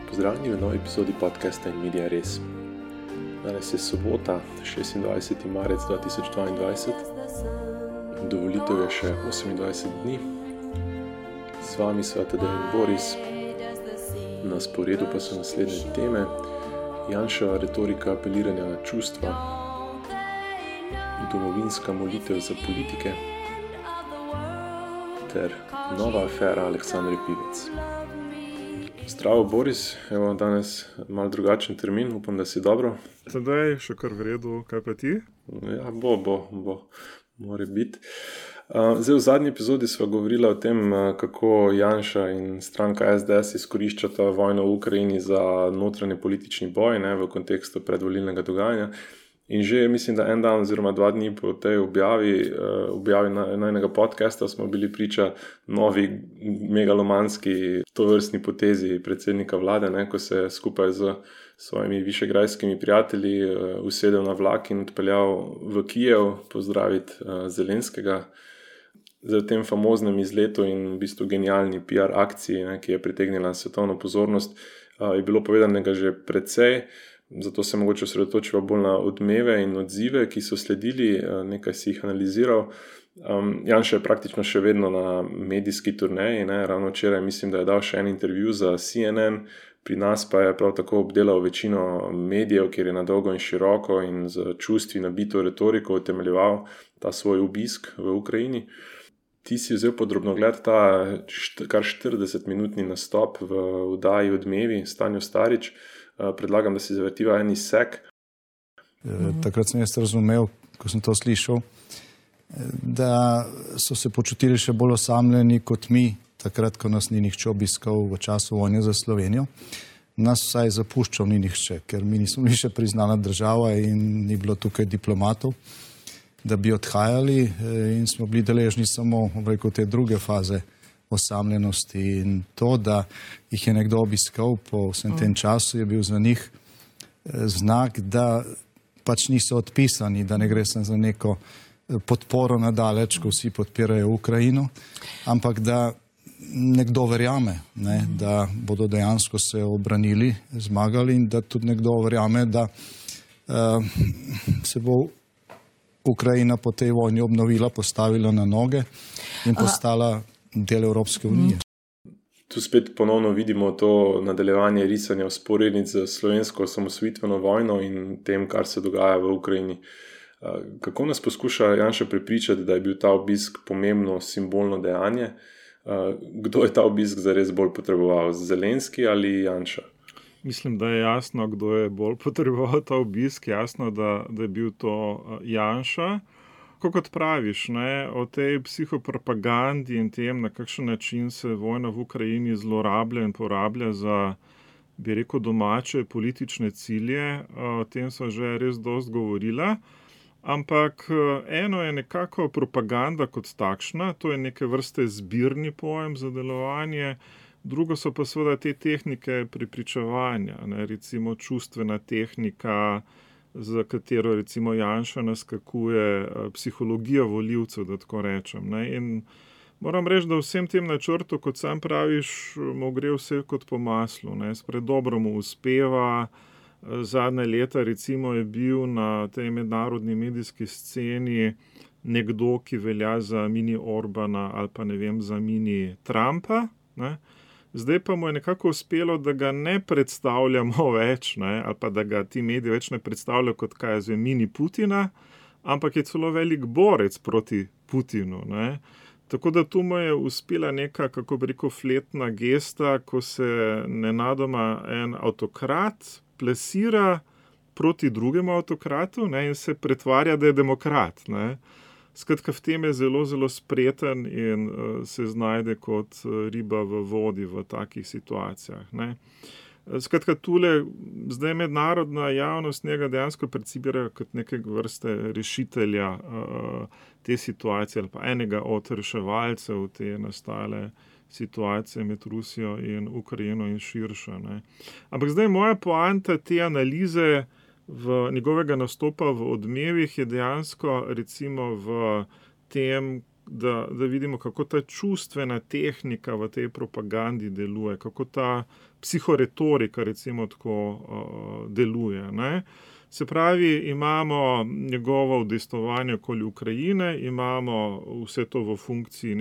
Pozdravljeni v novi epizodi podcasta In Media Res. Danes je sobota, 26. marec 2022. Do volitev je še 28 dni. S vami sva Tadej in Boris. Na sporedu pa so naslednje teme: Janševa retorika apeliranja na čustva, domovinska molitev za politike ter nova afera Aleksandre Pivec. Zdravo, Boris. Evo danes malo drugačen termin, upam, da si dobro. Tadej, še kar v redu, kaj pa ti? Ja, bo, more biti. Zdaj, v zadnji epizodi sva govorila o tem, kako Janša in stranka SDS izkoriščata vojno v Ukrajini za notranje politični boj, v kontekstu predvolilnega dogajanja. In že, mislim, da en dan oziroma 2 dni po tej objavi najnega podcasta smo bili priča novi megalomanski tovrstni potezi predsednika vlade, ko se je skupaj z svojimi višegrajskimi prijatelji usedel na vlak in odpeljal v Kijev pozdraviti Zelenskega. Za tem famoznem izletu in v bistvu genialni PR akciji, ki je pritegnila svetovno pozornost, je bilo povedanega že precej. Zato se mogoče osredotočiva bolj na odmeve in odzive, ki so sledili, nekaj si jih analiziral. Janša je praktično še vedno na medijski turneji, ravno včeraj mislim, da je dal še en intervju za CNN, pri nas pa je prav tako obdelal večino medijev, kjer je na dolgo in široko in z čustvi nabito retoriko utemeljeval ta svoj obisk v Ukrajini. Ti si vzel pod drobnogled ta kar 40-minutni nastop v oddaji Odmevi Stanjo Starič. Predlagam, da si zavrtiva en izsek. Takrat sem jaz razumel, ko sem to slišal, da so se počutili še bolj osamljeni kot mi, takrat, ko nas ni nihče obiskal v času vojne za Slovenijo. Nas vsaj zapuščal ni nihče, ker mi nismo bili še priznana država in ni bilo tukaj diplomatov, da bi odhajali, in smo bili deležni samo te druge faze osamljenosti, in to, da jih je nekdo obiskal po vsem tem času, je bil za njih znak, da pač niso odpisani, da ne gre sem za neko podporo nadaleč, ko vsi podpirajo Ukrajino, ampak da nekdo verjame, da bodo dejansko se obranili, zmagali, in da tudi nekdo verjame, da se bo Ukrajina po tej vojni obnovila, postavila na noge in postala del Evropske unije. Tu spet ponovno vidimo to nadaljevanje risanja vzporednic z slovensko osamosvojitveno vojno in tem, kar se dogaja v Ukrajini. Kako nas poskuša Janša prepričati, da je bil ta obisk pomembno simbolno dejanje? Kdo je ta obisk zares bolj potreboval? Zelenski ali Janša? Mislim, da je jasno, kdo je bolj potreboval ta obisk. Jasno, da je bil to Janša. Kot praviš, o tej psihopropagandi in tem, na kakšen način se vojna v Ukrajini zlorablja in porablja za, bi rekel, domače politične cilje, o tem so že res dosti govorila. Ampak eno je nekako propaganda kot takšna, to je neke vrste zbirni pojem za delovanje, drugo so pa seveda te tehnike prepričevanja, recimo čustvena tehnika, za katero recimo Janša naskakuje psihologija volivcev, da tako rečem. In moram reči, da vsem tem načrtu, kot sam praviš, mu gre vse kot po maslu. Spred dobro mu uspeva. Zadnje leta recimo je bil na tej mednarodni medijski sceni nekdo, ki velja za mini Orbana ali pa za mini Trumpa. Zdaj pa mu je nekako uspelo, da ga ne predstavljamo več, ali pa da ga ti mediji več ne predstavljajo kot mini Putina, ampak je celo velik borec proti Putinu. Tako da tu mu je uspela neka, kako bi rekel, fletna gesta, ko se nenadoma en avtokrat plesira proti drugemu avtokratu, in se pretvarja, da je demokrat. Skratka, v tem je zelo, zelo spreten in se znajde kot riba v vodi v takih situacijah. Skratka, tule zdaj mednarodna javnost njega dejansko percipira kot neke vrste rešitelja te situacije ali pa enega od reševalcev te nastale situacije med Rusijo in Ukrajino in širše. Ampak zdaj moja poanta te analize njegovega nastopa v Odmevih je dejansko recimo v tem, da vidimo, kako ta čustvena tehnika v tej propagandi deluje, kako ta psihoretorika, recimo tako, deluje, ne. Se pravi, imamo njegovo udejstvovanje okoli Ukrajine, imamo vse to v funkciji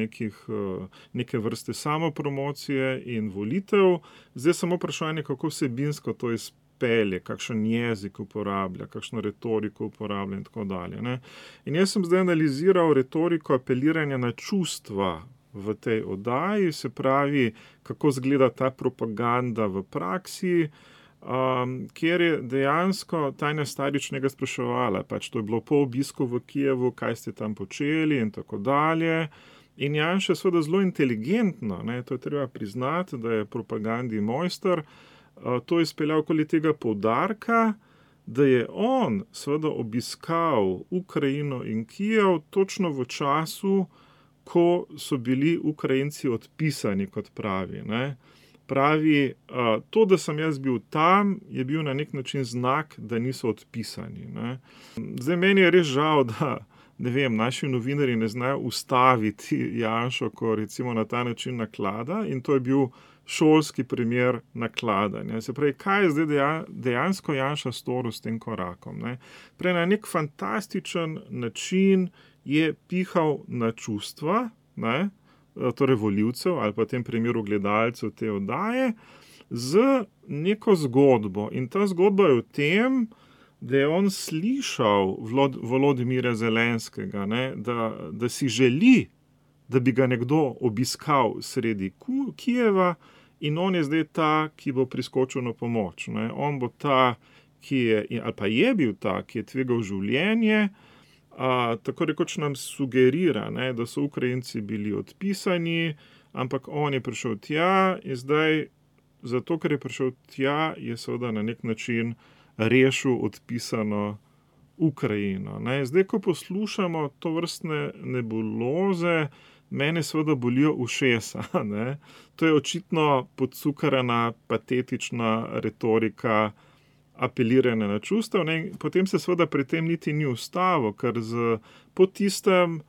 neke vrste samopromocije in volitev. Zdaj samo vprašanje, kako vsebinsko to izpelje, kakšen jezik uporablja, kakšno retoriko uporablja in tako dalje, ne. In jaz sem zdaj analiziral retoriko apeliranja na čustva v tej oddaji, se pravi, kako izgleda ta propaganda v praksi, kjer je dejansko Tanja Starič njega spraševala, pač to je bilo po obisku v Kijevu, kaj ste tam počeli in tako dalje. In Janša seveda zelo inteligentno, ne, to je treba priznati, da je propagandi mojster, to izpeljal okoli tega poudarka, da je on seveda obiskal Ukrajino in Kijev točno v času, ko so bili Ukrajinci odpisani, kot pravi, ne. Pravi, to, da sem jaz bil tam, je bil na nek način znak, da niso odpisani, ne. Zdaj, meni je res žal, da, ne vem, naši novinarji ne znajo ustaviti Janšo, ko recimo na ta način naklada, in to je bil šolski primer nakladanja. Se pravi, kaj je zdaj dejansko Janša storil s tem korakom, ne. Prej na nek fantastičen način je pihal na čustva, ne, torej volivcev ali pa v tem primeru gledalcev te oddaje, z neko zgodbo. In ta zgodba je v tem, da je on slišal Volodimira Zelenskega, ne, da si želi, da bi ga nekdo obiskal sredi Kijeva, in on je zdaj ta, ki bo priskočil na pomoč, ne. On bo ta, ki je, ali pa je bil ta, ki je tvegal življenje, tako rekoč nam sugerira, ne, da so Ukrajinci bili odpisani, ampak on je prišel tja in zdaj, zato ker je prišel tja, je seveda na nek način rešil odpisano Ukrajino, ne. Zdaj, ko poslušamo tovrstne nebuloze, mene seveda bolijo ušesa, ne. To je očitno podcukrana, patetična retorika apeliranja na čustev, ne. Potem se seveda pri tem niti ni ustavil, ker po tistem,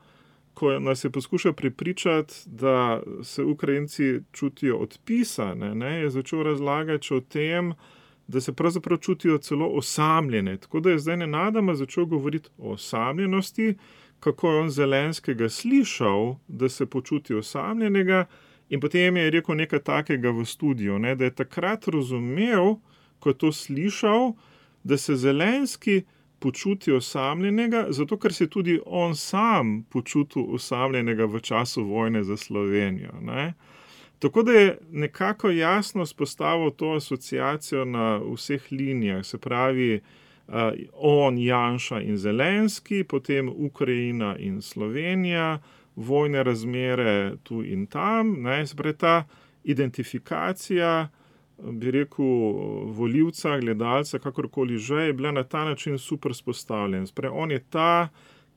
ko nas je poskušal prepričati, da se Ukrajinci čutijo odpisane, ne, je začel razlagati o tem, da se pravzaprav čutijo celo osamljene. Tako da je zdaj nenadoma začel govoriti o osamljenosti, kako je on Zelenskega slišal, da se počuti osamljenega, in potem je rekel nekaj takega v studiu, ne, da je takrat razumel, ko je to slišal, da se Zelenski počuti osamljenega, zato ker se tudi on sam počutil osamljenega v času vojne za Slovenijo, ne. Tako da je nekako jasno spostavil to asociacijo na vseh linijah, se pravi, on, Janša in Zelenski, potem Ukrajina in Slovenija, vojne razmere tu in tam, ne, se pravi, ta identifikacija, bi rekel, volivca, gledalca, kakorkoli že, je bila na ta način super spostavljena. Se pravi, on je ta,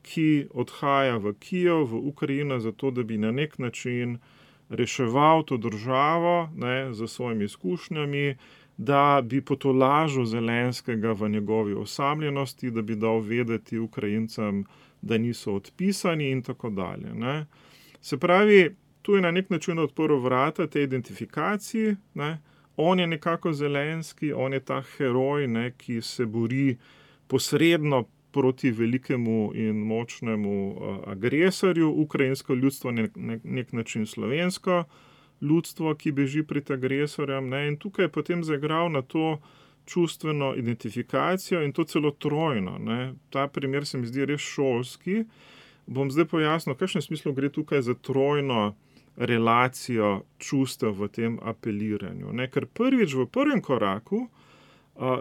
ki odhaja v Kijev, v Ukrajino, zato da bi na nek način reševal to državo, ne, z svojimi izkušnjami, da bi potolažil Zelenskega v njegovi osamljenosti, da bi dal vedeti Ukrajincem, da niso odpisani in tako dalje, ne. Se pravi, tu je na nek način odprl vrata tej identifikaciji, ne. On je nekako Zelenski, on je ta heroj, ne, ki se bori posredno proti velikemu in močnemu agresorju, ukrajinsko ljudstvo na nek način slovensko ljudstvo, ki beži pred agresorjem, ne, in tukaj je potem zaigral na to čustveno identifikacijo in to celo trojno, ne. Ta primer se mi zdi res šolski. Bom zdaj pojasnil, v kakšnem smislu gre tukaj za trojno relacijo čustev v tem apeliranju, ne. Ker prvič v prvem koraku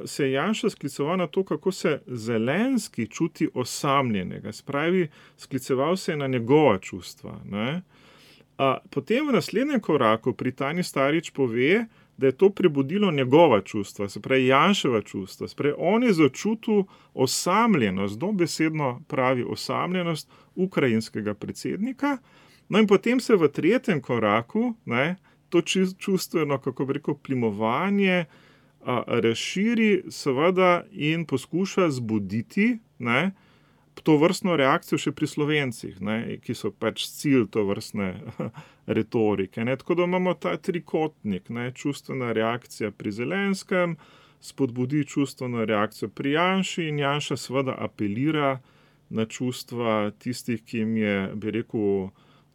se je Janša skliceval na to, kako se Zelenski čuti osamljenega, se pravi, skliceval se je na njegova čustva, ne. Potem v naslednjem koraku pri Tanji Starič pove, da je to prebudilo njegova čustva, se pravi Janševa čustva, se pravi, on je začutil osamljenost, dobesedno pravi osamljenost ukrajinskega predsednika, no in potem se v tretjem koraku, ne, to čustveno, kako bi rekel, plimovanje razširi seveda in poskuša zbuditi, ne, to vrstno reakcijo še pri Slovencih, ne, ki so pač cilj to vrstne retorike. Ne. Tako da imamo ta trikotnik, ne, čustvena reakcija pri Zelenskem, spodbudi čustveno reakcijo pri Janši in Janša seveda apelira na čustva tistih, ki jim je, bi rekel,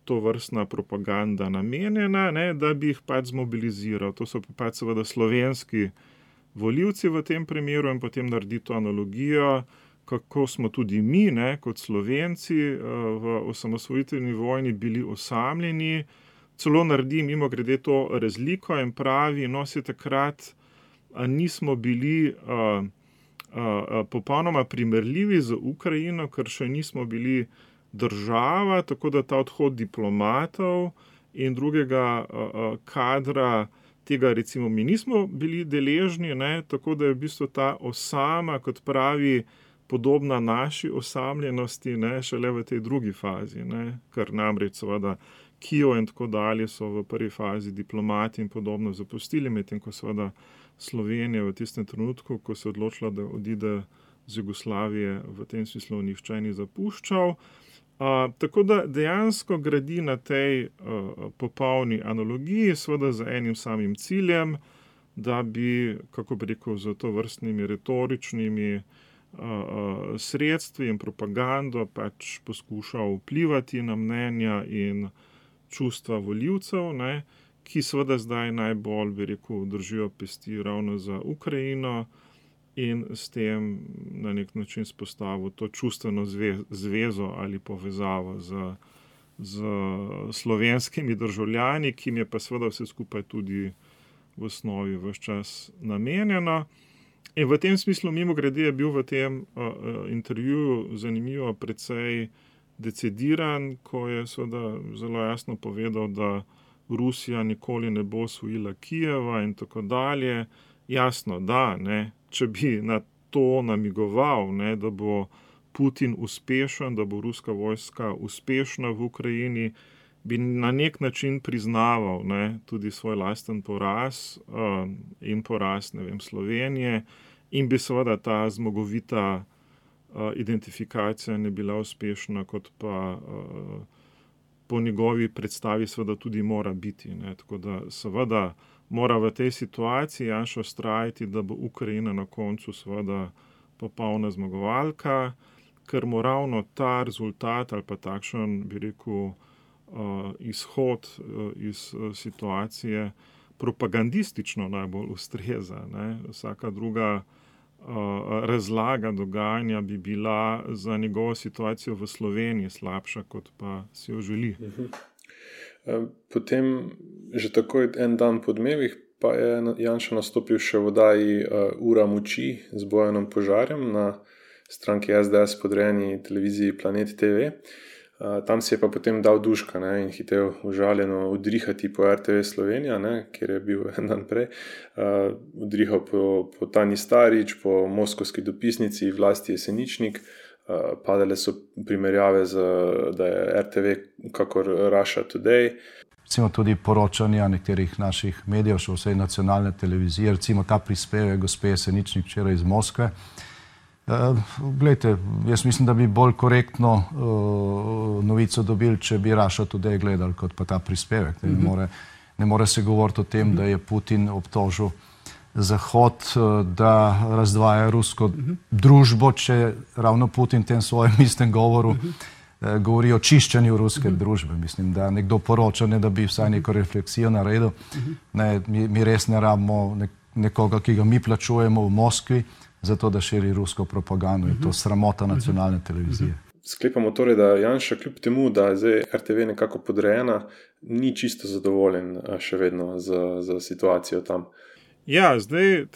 to vrstna propaganda namenjena, ne, da bi jih pač zmobiliziral. To so pač seveda slovenski volivci v tem primeru in potem naredi to analogijo, kako smo tudi mi, ne, kot Slovenci v osamosvojitveni vojni bili osamljeni. Celo naredi mimogrede to razliko in pravi, no, se takrat nismo bili popolnoma primerljivi z Ukrajino, ker še nismo bili država, tako da ta odhod diplomatov in drugega kadra, tega recimo mi nismo bili deležni, ne, tako da je v bistvu ta osama, kot pravi, podobna naši osamljenosti, ne, šele v tej drugi fazi, ne, ker namreč seveda Kijev in tako dalje so v prvi fazi diplomati in podobno zapustili, medtem ko seveda Slovenija v tistem trenutku, ko se je odločila, da odide z Jugoslavije, v tem smislu nihče ni zapuščal. Tako da dejansko gradi na tej popolni analogiji, seveda z enim samim ciljem, da bi, kako bi rekel, z to vrstnimi retoričnimi sredstvi in propagando pač poskušal vplivati na mnenja in čustva volivcev, ne, ki seveda zdaj najbolj, bi rekel, držijo pesti ravno za Ukrajino in s tem na nek način spostavil to čustveno zvezo ali povezavo z slovenskimi državljani, ki jim je pa seveda vse skupaj tudi v osnovi ves čas namenjeno. In v tem smislu, mimogrede, je bil v tem intervjuju zanimivo precej decidiran, ko je seveda zelo jasno povedal, da Rusija nikoli ne bo osvojila Kijeva in tako dalje. Jasno, da, ne, če bi na to namigoval, ne, da bo Putin uspešen, da bo ruska vojska uspešna v Ukrajini, bi na nek način priznaval, ne, tudi svoj lasten poraz in poraz, ne vem, Slovenije, in bi seveda ta zmagovita identifikacija ne bila uspešna, kot pa po njegovi predstavi seveda tudi mora biti, ne. Tako da seveda mora v tej situaciji Janša vztrajati, da bo Ukrajina na koncu seveda popolna zmagovalka, ker mu ravno ta rezultat ali pa takšen, bi rekel, izhod iz situacije propagandistično najbolj ustreza, ne. Vsaka druga razlaga dogajanja bi bila za njegovo situacijo v Sloveniji slabša, kot pa si jo želi. Potem, že takoj en dan po Dnevih, pa je Janša nastopil še v oddaji Ura moči z Bojanom Požarjem na stranki SDS podrejeni televiziji Planet TV. Tam si je pa potem dal duška, ne, in hitel užaljeno udrihati po RTV Slovenija, ne, kjer je bil en dan prej. Udrihal po Tanji Starič, po moskovski dopisnici Vlasti Jeseničnik. Padale so primerjave, da je RTV kakor Russia Today. Recimo tudi poročanja nekaterih naših medijev, še vsej nacionalne televizije, recimo ta prispevek gospe Jeseničnik včeraj iz Moskve. Glejte, jaz mislim, da bi bolj korektno novico dobili, če bi Russia Today gledali, kot pa ta prispevek. Ne more se govoriti o tem, da je Putin obtožil Zahod, da razdvaja rusko družbo, če ravno Putin v tem svojem istem govoru govori o čiščenju ruske družbe. Mislim, da nekdo poroča, ne da bi vsaj neko refleksijo naredil. Ne, mi res ne rabimo nekoga, ki ga mi plačujemo v Moskvi, zato da širi rusko propagando. Je to sramota nacionalne televizije. Sklepamo torej, da Janša kljub temu, da je zdaj RTV nekako podrejena, ni čisto zadovoljen še vedno z situacijo tam. Ja, zdaj,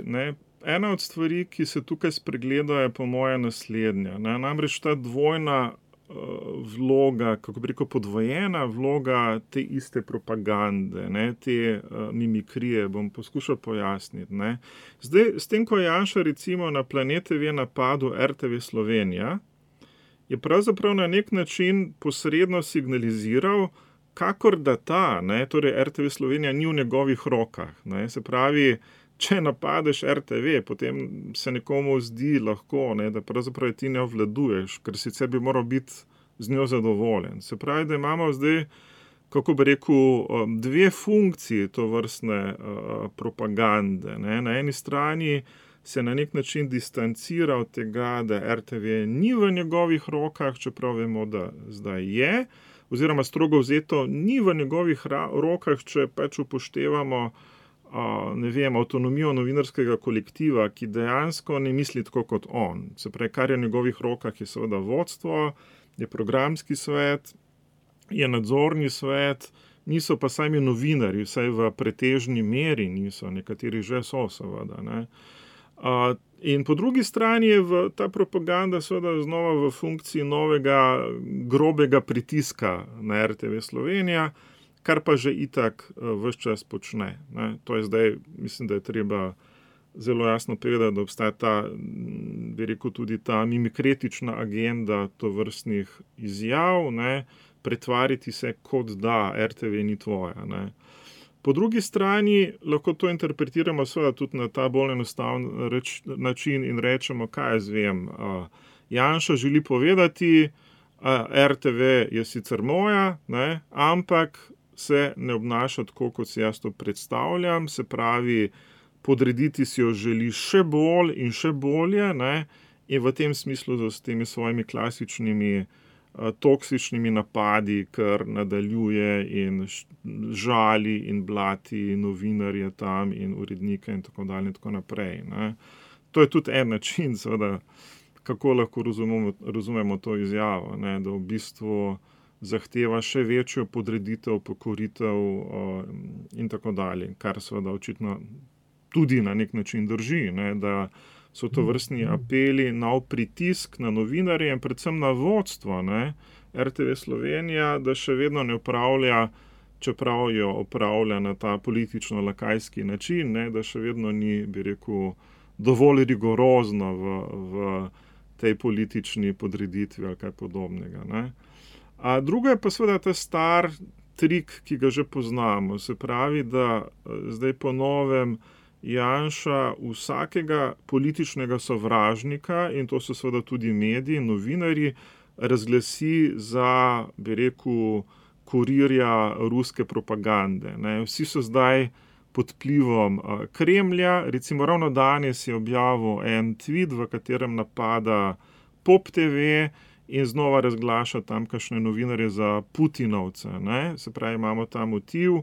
ne, ena od stvari, ki se tukaj spregleda, je po moje naslednja. Ne, namreč ta dvojna vloga, kako bi rekel, podvojena vloga te iste propagande, ne, te mimikrije, bom poskušal pojasniti. Ne. Zdaj, s tem, ko je Janša recimo na Planet TV napadel RTV Slovenija, je pravzaprav na nek način posredno signaliziral, kakor da torej RTV Slovenija ni v njegovih rokah, ne, se pravi, če napadeš RTV, potem se nekomu zdi lahko, ne, da pravzaprav ti ne obvladuješ, ker sicer bi moral biti z njo zadovoljen. Se pravi, da imamo zdaj, kako bi rekel, dve funkciji tovrstne propagande, ne. Na eni strani se na nek način distancira od tega, da RTV ni v njegovih rokah, čeprav vemo, da zdaj je, oziroma strogo vzeto ni v njegovih rokah, če pač upoštevamo avtonomijo novinarskega kolektiva, ki dejansko ne misli tako kot on. Se pravi, kar je v njegovih rokah, je seveda vodstvo, je programski svet, je nadzorni svet, niso pa sami novinarji, vsaj v pretežni meri niso, nekateri že so seveda, ne. In po drugi strani je ta propaganda seveda znova v funkciji novega grobega pritiska na RTV Slovenija, kar pa že itak ves čas počne, ne. To je zdaj, mislim, da je treba zelo jasno povedati, da obstaja ta, bi rekel, tudi ta mimikretična agenda tovrstnih izjav, ne, pretvariti se, kot da RTV ni tvoja, ne. Po drugi strani lahko to interpretiramo seveda tudi na ta bolj enostaven način in rečemo, kaj jaz vem, Janša želi povedati, RTV je sicer moja, ne, ampak se ne obnaša tako, kot si jaz to predstavljam, se pravi, podrediti si jo želi še bolj in še bolje, ne, in v tem smislu s temi svojimi klasičnimi toksičnimi napadi, kar nadaljuje in žali in blati novinarje tam in urednike in tako dalje in tako naprej, ne. To je tudi en način, seveda, kako lahko razumemo to izjavo, ne, da v bistvu zahteva še večjo podreditev, pokoritev in tako dalje, kar seveda očitno tudi na nek način drži, ne, da so to vrstni apeli na pritisk na novinarje in predvsem na vodstvo, ne, RTV Slovenija, da še vedno ne opravlja, čeprav jo opravlja na ta politično-lakajski način, ne, da še vedno ni, bi rekel, dovolj rigorozno v tej politični podreditvi ali kaj podobnega, ne. A drugo je pa seveda ta star trik, ki ga že poznamo, se pravi, da zdaj po novem Janša vsakega političnega sovražnika, in to so seveda tudi mediji, novinarji, razglasi za, bi rekel, kurirja ruske propagande, ne. Vsi so zdaj pod vplivom Kremlja, recimo ravno danes je objavil en tweet, v katerem napada Pop TV in znova razglaša tamkajšnje novinarje za Putinovce, ne. Se pravi, imamo ta motiv,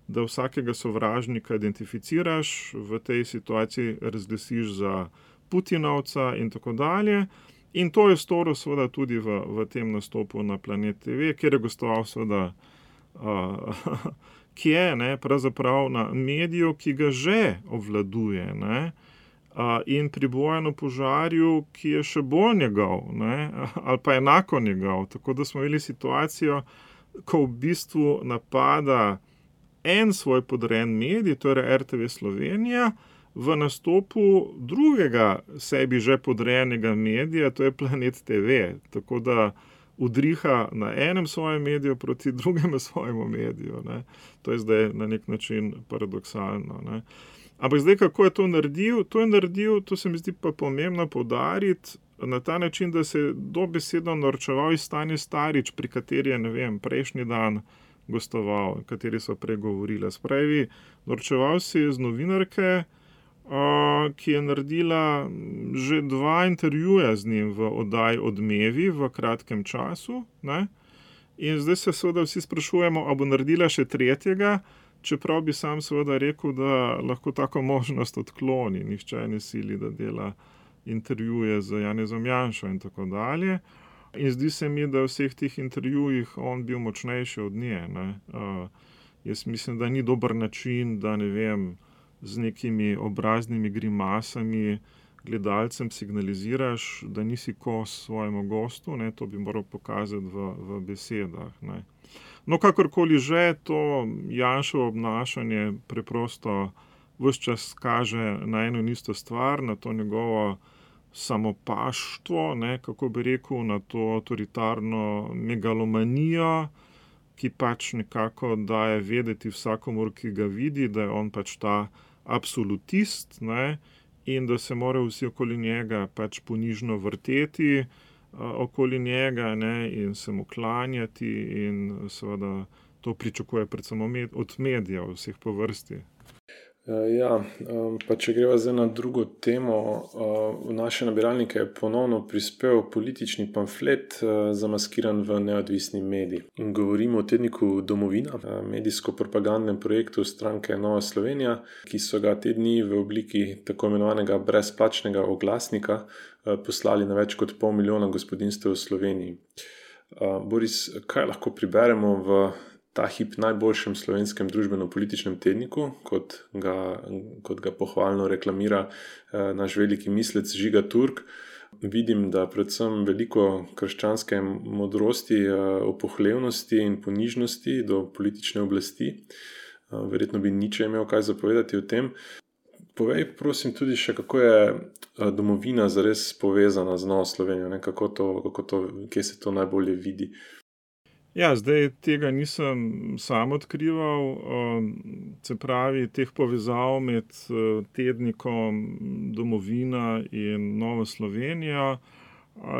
da vsakega sovražnika identificiraš, v tej situaciji razglasiš za Putinovca in tako dalje. In to je storil seveda tudi v tem nastopu na Planet TV, kjer je gostoval seveda kje, ne, pravzaprav na mediju, ki ga že obvladuje, ne, in pri Bojanu Požarju, ki je še bolj njegov, ne, ali pa enako njegov. Tako da smo imeli situacijo, ko v bistvu napada en svoj podrejen medij, torej RTV Slovenija, v nastopu drugega sebi že podrejenega medija, to je Planet TV. Tako da udriha na enem svojem mediju proti drugemu svojemu mediju, ne. To je zdaj na nek način paradoksalno, ne. Ampak zdaj, kako je to naredil? To je naredil, to se mi zdi pa pomembno poudariti, na ta način, da se je dobesedno norčeval iz Tanje Starič, pri kateri je, ne vem, prejšnji dan gostoval, kateri so pregovorili. Spravi, norčeval se je z novinarke, ki je naredila že 2 intervjuja z njim v oddaji Odmevi v kratkem času, ne. In zdaj se seveda vsi sprašujemo, a bo naredila še 3., čeprav bi sam seveda rekel, da lahko tako možnost odkloni. Nihče ne sili, da dela intervjuje z Janezom Janšo in tako dalje. In zdi se mi, da v vseh teh intervjujih on bil močnejši od nje, ne. Jaz mislim, da ni dober način, da, ne vem, z nekimi obraznimi grimasami gledalcem signaliziraš, da nisi kos svojemu gostu, ne, to bi moral pokazati v besedah, ne. No, kakorkoli že, to Janševo obnašanje preprosto ves čas kaže na eno in isto stvar, na to njegovo samopaštvo, ne, kako bi rekel, na to avtoritarno megalomanijo, ki pač nekako daje vedeti vsakomur, ki ga vidi, da je on pač ta absolutist, ne, in da se morajo vsi okoli njega pač ponižno vrteti okoli njega, ne, in se mu klanjati, in seveda to pričakuje predvsem od medijev vseh po vrsti. Ja, pa če greva zdaj na drugo temo, v naše nabiralnike je ponovno prispel politični pamflet, zamaskiran v neodvisni medij. Govorimo o tedniku Domovina, medijsko-propagandnem projektu stranke Nova Slovenija, ki so ga te dni v obliki tako imenovanega brezplačnega oglasnika poslali na več kot 500 000 gospodinjstev v Sloveniji. Boris, kaj lahko priberemo v ta hip najboljšem slovenskem družbeno-političnem tedniku, kot ga pohvalno reklamira naš veliki mislec Žiga Turk? Vidim, da predvsem veliko krščanske modrosti, opohlevnosti in ponižnosti do politične oblasti. Verjetno bi Nietzsche imel kaj zapovedati o tem. Povej, prosim, tudi še, kako je Domovina zares povezana z Novo Slovenijo, ne? Kje se to najbolje vidi? Ja, zdaj tega nisem sam odkrival, se pravi, teh povezav med tednikom Domovina in Novo Slovenijo.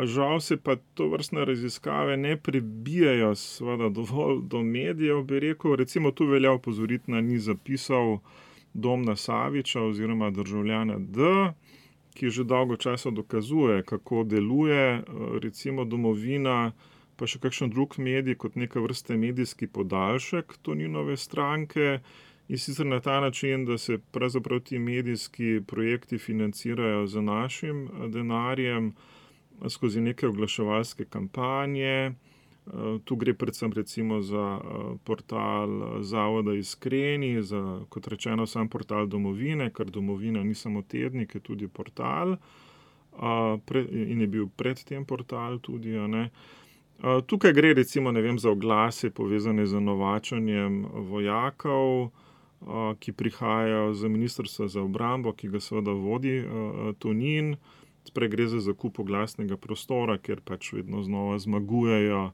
Žal se pa tovrstne raziskave ne prebijajo seveda dovolj do medijev, bi rekel. Recimo tu velja opozoriti na niz zapisov Domna Saviča oziroma državljana D, ki že dolgo časa dokazuje, kako deluje recimo Domovina, pa še kakšen drug medij kot neka vrste medijski podaljšek Toninove stranke, in sicer na ta način, da se pravzaprav ti medijski projekti financirajo z našim denarjem skozi neke oglaševalske kampanje. Tu gre predvsem recimo za portal Zavoda Iskreni, za, kot rečeno, sam portal Domovine, ker Domovina ni samo tednik, je tudi portal, in je bil predtem portal tudi, ne. Tukaj gre recimo, ne vem, za oglase povezane z novačenjem vojakov, ki prihajajo z Ministrstva za obrambo, ki ga seveda vodi Tonin. Sprej gre za zakup oglasnega prostora, kjer pač vedno znova zmagujejo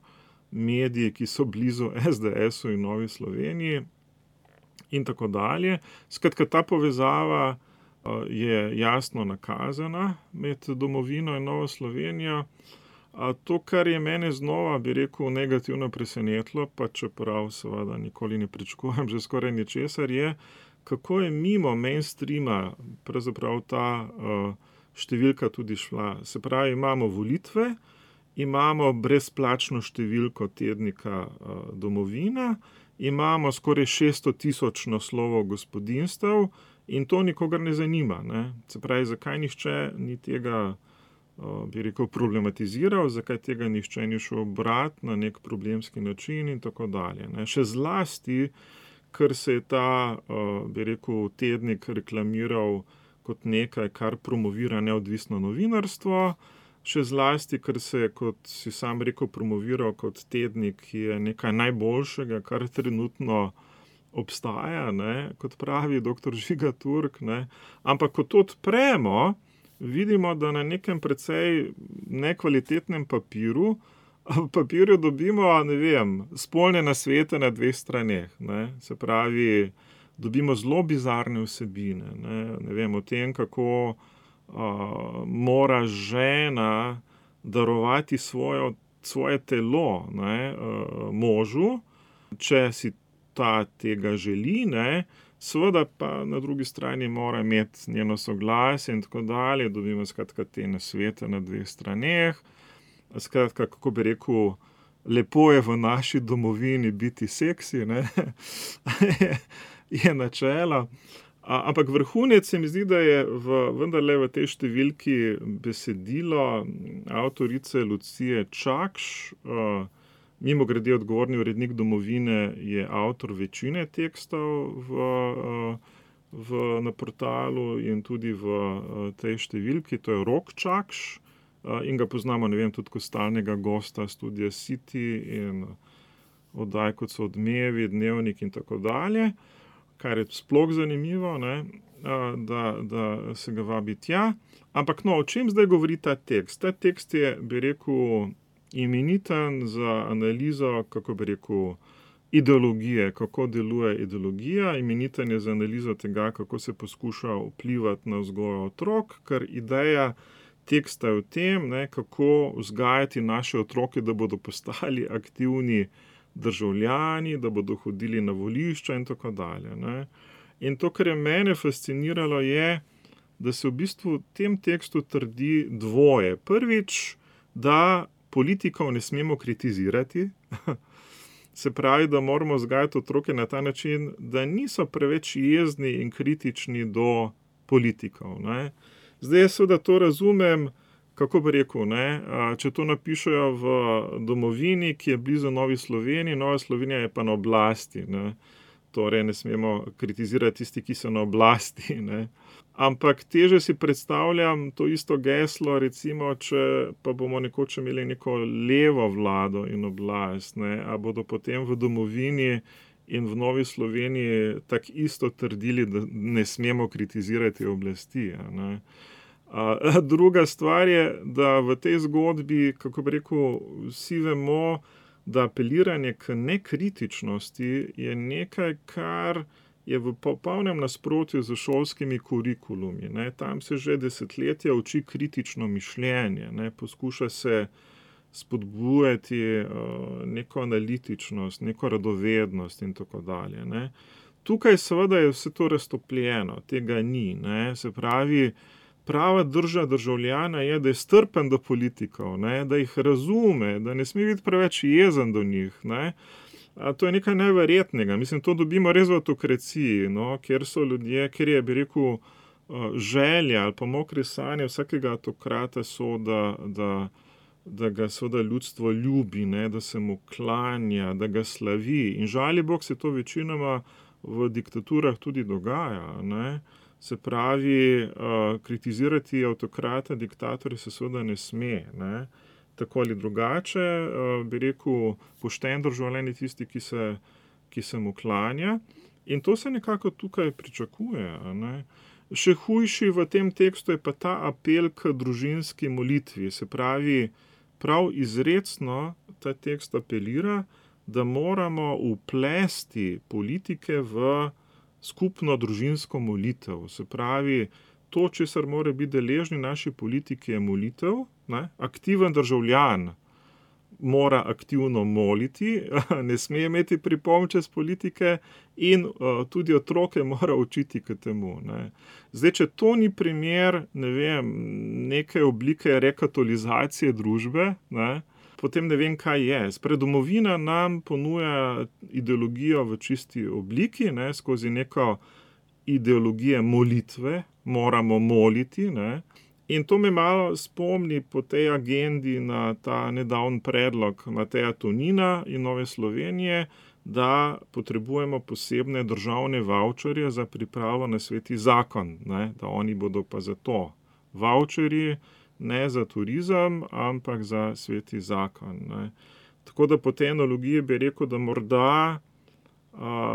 mediji, ki so blizu SDS-u in Novi Sloveniji in tako dalje. Skratka, ta povezava je jasno nakazana med Domovino in Novo Slovenijo. To, kar je mene znova, bi rekel, negativno presenetilo, pa čeprav seveda nikoli ne pričakujem že skoraj ničesar, je, kako je mimo mainstreama pravzaprav ta številka tudi šla. Se pravi, imamo volitve, imamo brezplačno številko tednika Domovina, imamo skoraj 600 000 naslovov gospodinjstev in to nikogar ne zanima, ne. Se pravi, zakaj nihče ni tega, bi rekel, problematiziral, zakaj tega nihče ni šel brati na nek problemski način in tako dalje, ne. Še zlasti, ker se je ta, bi rekel, tednik reklamiral kot nekaj, kar promovira neodvisno novinarstvo, še zlasti, ker se je, kot si sam rekel, promoviral kot tednik, ki je nekaj najboljšega, kar trenutno obstaja, ne, kot pravi dr. Žiga Turk, ne. Ampak ko to odpremo, vidimo, da na nekem precej nekvalitetnem papirju dobimo, ne vem, spolne nasvete na 2 straneh, ne. Se pravi, dobimo zelo bizarne vsebine, ne vem, o tem, kako mora žena darovati svoje telo, ne, možu, če si ta tega želi, ne. Seveda pa na drugi strani mora imeti njeno soglasje in tako dalje, dobimo skratka te nasvete na 2 straneh. Skratka, kako bi rekel, lepo je v naši domovini biti seksi, ne, je načelo. Ampak vrhunec se mi zdi, da je vendarle v tej številki besedilo avtorice Lucije Čakš. Mimogrede, odgovorni urednik Domovine je avtor večine tekstov na portalu in tudi v tej številki, to je Rok Čakš, in ga poznamo, ne vem, tudi kot stalnega gosta Studia City in oddaj, kot so Odmevi, Dnevnik in tako dalje, kar je sploh zanimivo, ne, da se ga vabi tja. Ampak no, o čem zdaj govori ta tekst? Ta tekst je, bi rekel, imeniten za analizo, kako bi rekel, ideologije, kako deluje ideologija, imeniten je za analizo tega, kako se poskuša vplivati na vzgojo otrok, ker ideja teksta je v tem, kako vzgajati naše otroke, da bodo postali aktivni državljani, da bodo hodili na volišča in tako dalje. In to, kar je mene fasciniralo, je, da se v bistvu v tem tekstu trdi dvoje. Prvič, da politikov ne smemo kritizirati, se pravi, da moramo vzgajati otroke na ta način, da niso preveč jezni in kritični do politikov. Zdaj jaz seveda to razumem, kako bi rekel, če to napišejo v domovini, ki je blizu Novi Sloveniji, Nova Slovenija je pa na oblasti. Torej ne smemo kritizirati tisti, ki so na oblasti. Ampak teže si predstavljam to isto geslo, recimo, če pa bomo nekoč imeli neko levo vlado in oblast, a bodo potem v domovini in v Novi Sloveniji tako isto trdili, da ne smemo kritizirati oblasti. Druga stvar je, da v tej zgodbi, kako bi rekel, vsi vemo, da apeliranje k nekritičnosti je nekaj, kar je v popolnem nasprotju z šolskimi kurikulumi. Tam se že desetletja uči kritično mišljenje, poskuša se spodbujati neko analitičnost, neko radovednost in tako dalje. Tukaj seveda je vse to raztopljeno, tega ni. Se pravi, prava drža državljana je, da je strpen do politikov, da jih razume, da ne sme biti preveč jezen do njih. To je nekaj neverjetnega. Mislim, to dobimo res v avtokraciji, kjer so ljudje, kjer je, bi rekel, želja ali pa mokre sanje vsakega avtokrata so, da ga seveda ljudstvo ljubi, da se mu klanja, da ga slavi. In žali Bog se to večinoma v diktaturah tudi dogaja. Se pravi, kritizirati avtokrata, diktatorja se seveda ne sme. Tako ali drugače, bi rekel, pošten državljan je tisti, ki se mu klanja. In to se nekako tukaj pričakuje. Še hujši v tem tekstu je pa ta apel k družinski molitvi. Se pravi, prav izrecno ta tekst apelira, da moramo vplesti politike v skupno družinsko molitev. Se pravi, to, česar mora biti deležni naši politiki, je molitev. Aktiven državljan mora aktivno moliti, ne sme imeti pripomb čez politike in tudi otroke mora učiti k temu. Zdaj, če to ni primer, neke oblike rekatolizacije družbe, potem ne vem, kaj je. Domovina nam ponuja ideologijo v čisti obliki, skozi neko ideologijo molitve, moramo moliti, In to me malo spomni po tej agendi na ta nedavni predlog Mateja Tonina in Nove Slovenije, da potrebujemo posebne državne vavčerje za pripravo na sveti zakon, da oni bodo pa za to vavčerji, ne za turizem, ampak za sveti zakon. Tako da po tej analogiji bi rekel, da morda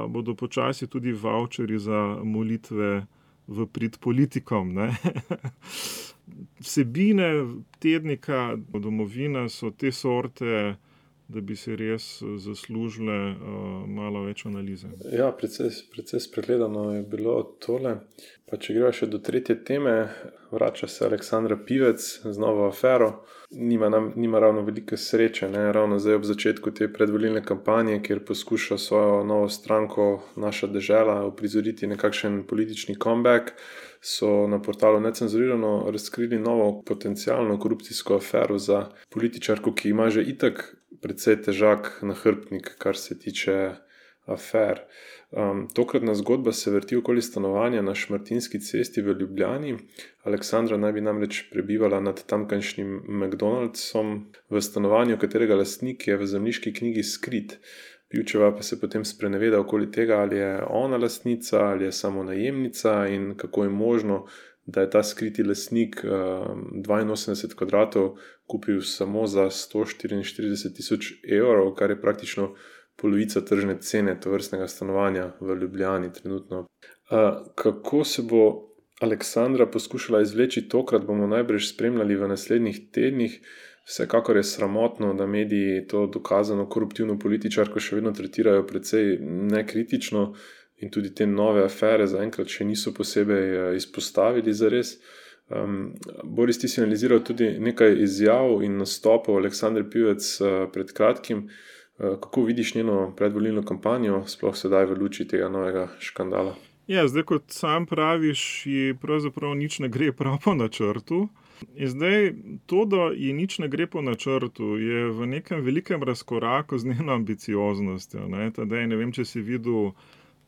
bodo počasi tudi vavčerji za molitve v prid politikom. Vsebine tednika Domovina so te sorte, da bi se res zaslužile malo več analize. Ja, precej spregledano je bilo tole. Pa če greva še do tretje teme, vrača se Aleksandra Pivec z novo afero. Nima ravno velike sreče, ravno zdaj ob začetku te predvolilne kampanje, kjer poskuša svojo novo stranko Naša dežela uprizoriti nekakšen politični comeback, so na portalu Necenzurirano razkrili novo potencialno korupcijsko afero za političarko, ki ima že itak precej težak nahrbtnik, kar se tiče afer. Tokratna zgodba se vrti okoli stanovanja na Šmartinski cesti v Ljubljani. Aleksandra naj bi namreč prebivala nad tamkajšnjim McDonald'som v stanovanju, katerega lastnik je v zemljiški knjigi skrit. Pivčeva pa se potem spreneveda okoli tega, ali je ona lastnica, ali je samo najemnica in kako je možno, da je ta skriti lastnik 82 kvadratov kupil samo za 144.000 evrov, kar je praktično polovica tržne cene tovrstnega stanovanja v Ljubljani trenutno. Kako se bo Aleksandra poskušala izvleči tokrat, bomo najbrž spremljali v naslednjih tednih. Vsekakor je sramotno, da mediji to dokazano koruptivno političarko še vedno tretirajo precej nekritično in tudi te nove afere zaenkrat še niso posebej izpostavili zares. Boris, ti si analiziral tudi nekaj izjav in nastopov Aleksandre Pivec pred kratkim. Kako vidiš njeno predvolilno kampanjo, sploh sedaj v luči tega novega škandala? Ja, zdaj, kot sam praviš, ji pravzaprav nič ne gre prav po načrtu. In zdaj, to, da ji nič ne gre po načrtu, je v nekem velikem razkoraku z njeno ambicioznostjo. Tadej, ne vem, če si videl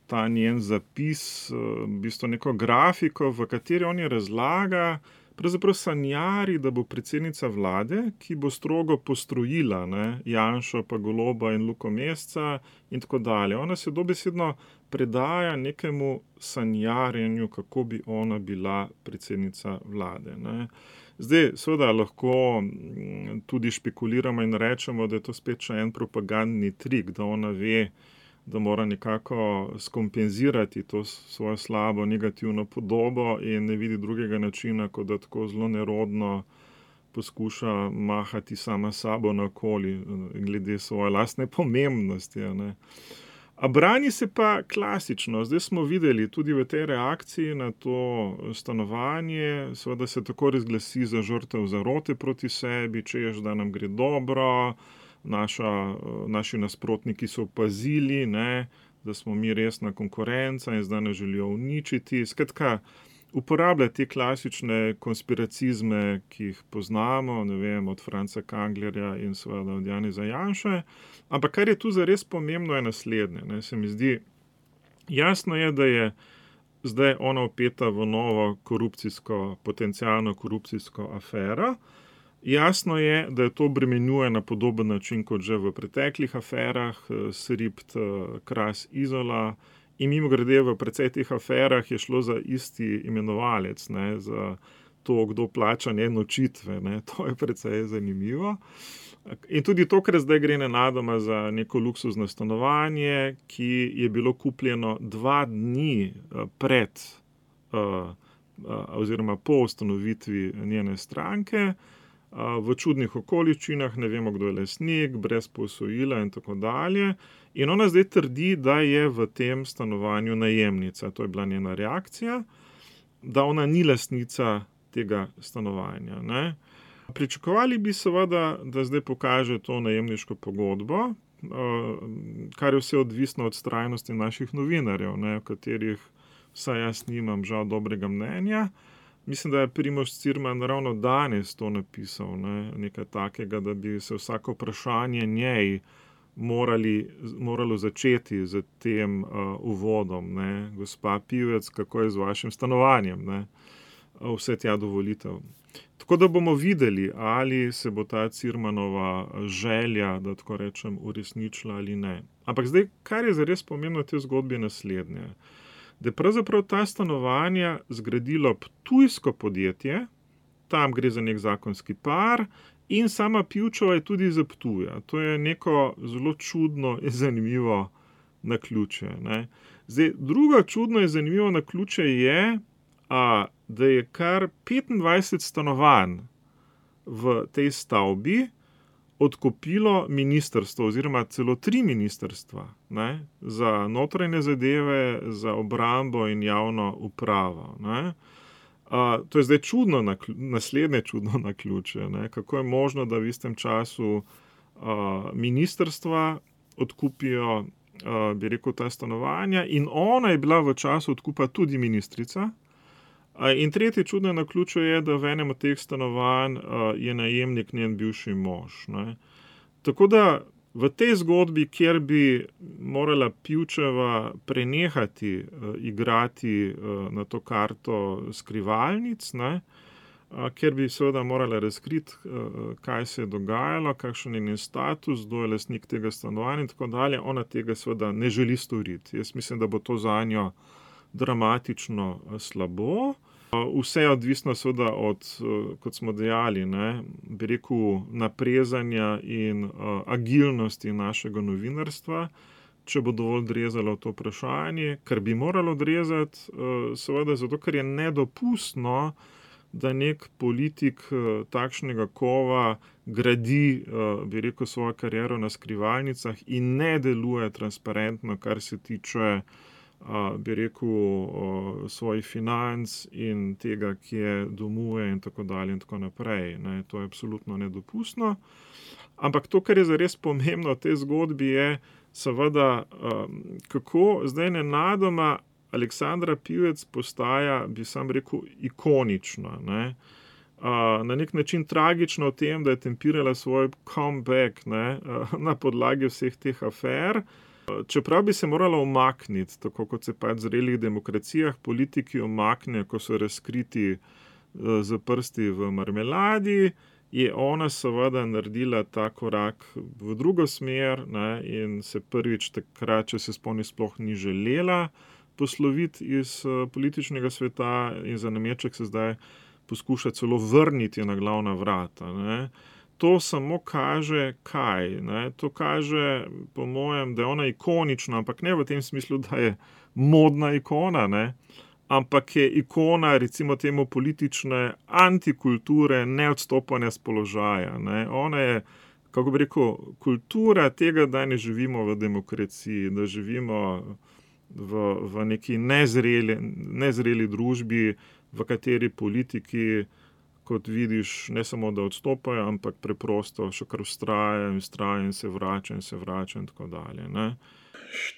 ta njen zapis, v bistvu neko grafiko, v kateri on je razlaga, pravzaprav sanjari, da bo predsednica vlade, ki bo strogo postrojila Janšo, pa Goloba in Luko Mesca in tako dalje. Ona se dobesedno predaja nekemu sanjarjenju, kako bi ona bila predsednica vlade. Zdaj, seveda lahko tudi špekuliramo in rečemo, da je to spet še en propagandni trik, da ona ve, da mora nekako skompenzirati to svojo slabo negativno podobo in ne vidi drugega načina, kot da tako zelo nerodno poskuša mahati sama sabo naokoli glede svoje lastne pomembnosti. A brani se pa klasično. Zdaj smo videli tudi v tej reakciji na to stanovanje, seveda se tako razglasi za žrtev zarote proti sebi, češ, da nam gre dobro, naši nasprotniki so opazili, da smo mi resna konkurenca in zdaj nas želijo uničiti. Skratka, uporablja te klasične konspiracizme, ki jih poznamo, ne vem, od Franca Kanglerja in seveda od Janeza Janše. Ampak kar je tu zares pomembno, je naslednje. Se mi zdi, jasno je, da je zdaj ona vpeta v novo potencialno korupcijsko afero. Jasno je, da je to obremenjuje na podoben način kot že v preteklih aferah, Sript, Kras, Izola. In mimogrede v precej teh aferah je šlo za isti imenovalec, za to, kdo plača nočitve. To je precej zanimivo. In tudi to, ker zdaj gre nenadoma za neko luksuzno stanovanje, ki je bilo kupljeno 2 dni pred oziroma po ustanovitvi njene stranke, v čudnih okoliščinah, ne vemo, kdo je lastnik, brez posojila in tako dalje. In ona zdaj trdi, da je v tem stanovanju najemnica. To je bila njena reakcija, da ona ni lastnica tega stanovanja. Pričakovali bi seveda, da zdaj pokaže to najemniško pogodbo, kar je vse odvisno od vztrajnosti naših novinarjev, v katerih vsaj jaz nimam žal dobrega mnenja. Mislim, da je Primož Cirman ravno danes to napisal, nekaj takega, da bi se vsako vprašanje njej moralo začeti z tem uvodom. Gospa Pivec, kako je z vašim stanovanjem? Vse tja do volitev. Tako da bomo videli, ali se bo ta Cirmanova želja, da tako rečem, uresničila ali ne. Ampak zdaj, kar je zares pomembno v tej zgodbi, je naslednje. Da je pravzaprav ta stanovanja zgradilo ptujsko podjetje, tam gre za nek zakonski par, in sama Pivčeva je tudi iz Ptuja. To je neko zelo čudno in zanimivo naključje. Zdaj, drugo čudno in zanimivo naključje je, da je kar 25 stanovanj v tej stavbi odkupilo ministrstvo oziroma celo 3 ministrstva, za notranje zadeve, za obrambo in javno upravo. To je zdaj naslednje čudno naključje. Kako je možno, da v istem času ministrstva odkupijo, bi rekel, ta stanovanja, in ona je bila v času odkupa tudi ministrica. In tretje čudno naključje je, da v enem od teh stanovanj je najemnik njen bivši mož. Tako da v tej zgodbi, kjer bi morala Pivčeva prenehati igrati na to karto skrivalnic, kjer bi seveda morala razkriti, kaj se je dogajalo, kakšen je njen status, kdo je lastnik tega stanovanja in tako dalje, ona tega seveda ne želi storiti. Jaz mislim, da bo to zanjo dramatično slabo. Vse je odvisno seveda od, kot smo dejali, bi rekel, naprezanja in agilnosti našega novinarstva, če bo dovolj drezalo to vprašanje, kar bi moralo drezati, seveda zato, ker je nedopustno, da nek politik takšnega kova gradi, bi rekel, svojo kariero na skrivalnicah in ne deluje transparentno, kar se tiče, bi rekel, svojih financ in tega, kje domuje in tako dalje in tako naprej. Ne, to je absolutno nedopustno. Ampak to, kar je zares pomembno v tej zgodbi, je seveda, kako zdaj nenadoma Aleksandra Pivec postaja, bi sam rekel, ikonična. Ne? Na nek način tragično v tem, da je tempirala svoj comeback, ne? Na podlagi vseh teh afer. Čeprav bi se morala umakniti, tako kot se pač v zrelih demokracijah politiki umaknejo, ko so razkriti z prsti v marmeladi, je ona seveda naredila ta korak v drugo smer, ne, in se prvič takrat, če se spomni, sploh ni želela posloviti iz političnega sveta in za nameček se zdaj poskuša celo vrniti na glavna vrata. Ne. To samo kaže kaj? Ne? To kaže, po mojem, da je ona ikonična, ampak ne v tem smislu, da je modna ikona, ne? Ampak je ikona, recimo temu, politične antikulture, neodstopanja z položaja. Ne? Ona je, kako bi rekel, kultura tega, da ne živimo v demokraciji, da živimo v neki nezreli družbi, v kateri politiki, kot vidiš, ne samo da odstopajo, ampak preprosto še kar vztrajajo in se vračajo in tako dalje. Ne?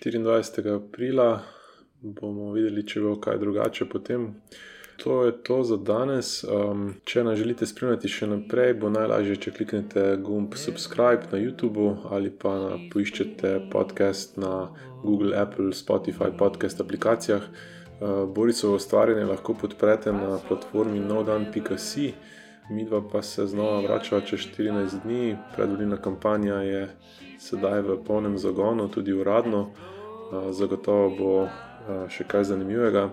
24. aprila bomo videli, če bo kaj drugače potem. To je to za danes. Če nas želite spremljati še naprej, bo najlažje, če kliknete gumb subscribe na YouTube ali pa poiščete podcast na Google, Apple, Spotify podcast aplikacijah. Borisovo ustvarjanje lahko podprete na platformi nodan.si. Midva pa se znova vračava čez 14 dni. Predvolilna kampanja je sedaj v polnem zagonu, tudi uradno. Zagotovo bo še kaj zanimivega.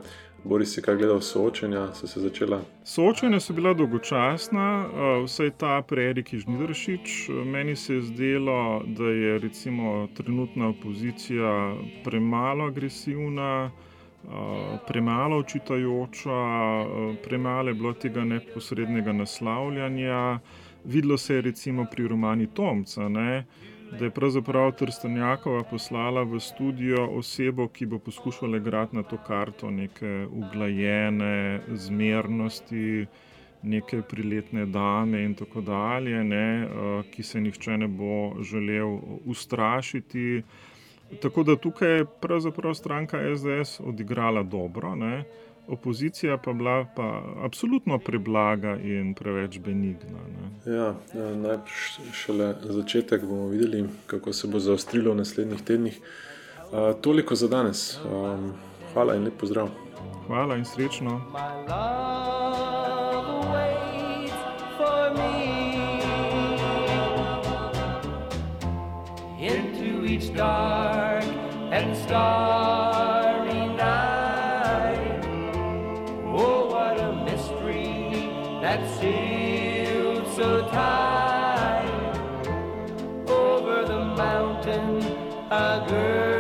Boris, si kaj gledal soočenja? So se začela? Soočenja so bila dolgočasna, vsaj ta pri Eriki Žnidaršič. Meni se je zdelo, da je recimo trenutna opozicija premalo agresivna, premalo očitajoča, premalo je bilo tega neposrednega naslavljanja. Videlo se je recimo pri Romani Tomca, ne, da je pravzaprav Trstenjakova poslala v studio osebo, ki bo poskušala igrati na to karto neke uglajene zmernosti, neke priletne dame in tako dalje, ne, ki se nihče ne bo želel ustrašiti. Tako da tukaj je pravzaprav stranka SDS odigrala dobro, ne? Opozicija pa bila pa absolutno preblaga in preveč benigna. Ne? Ja, najprej šele začetek, bomo videli, kako se bo zaostrilo v naslednjih tednih. Toliko za danes. Hvala in lep pozdrav. Hvala in srečno. Each dark and starry night. Oh, what a mystery that sailed so tight over the mountain, a girl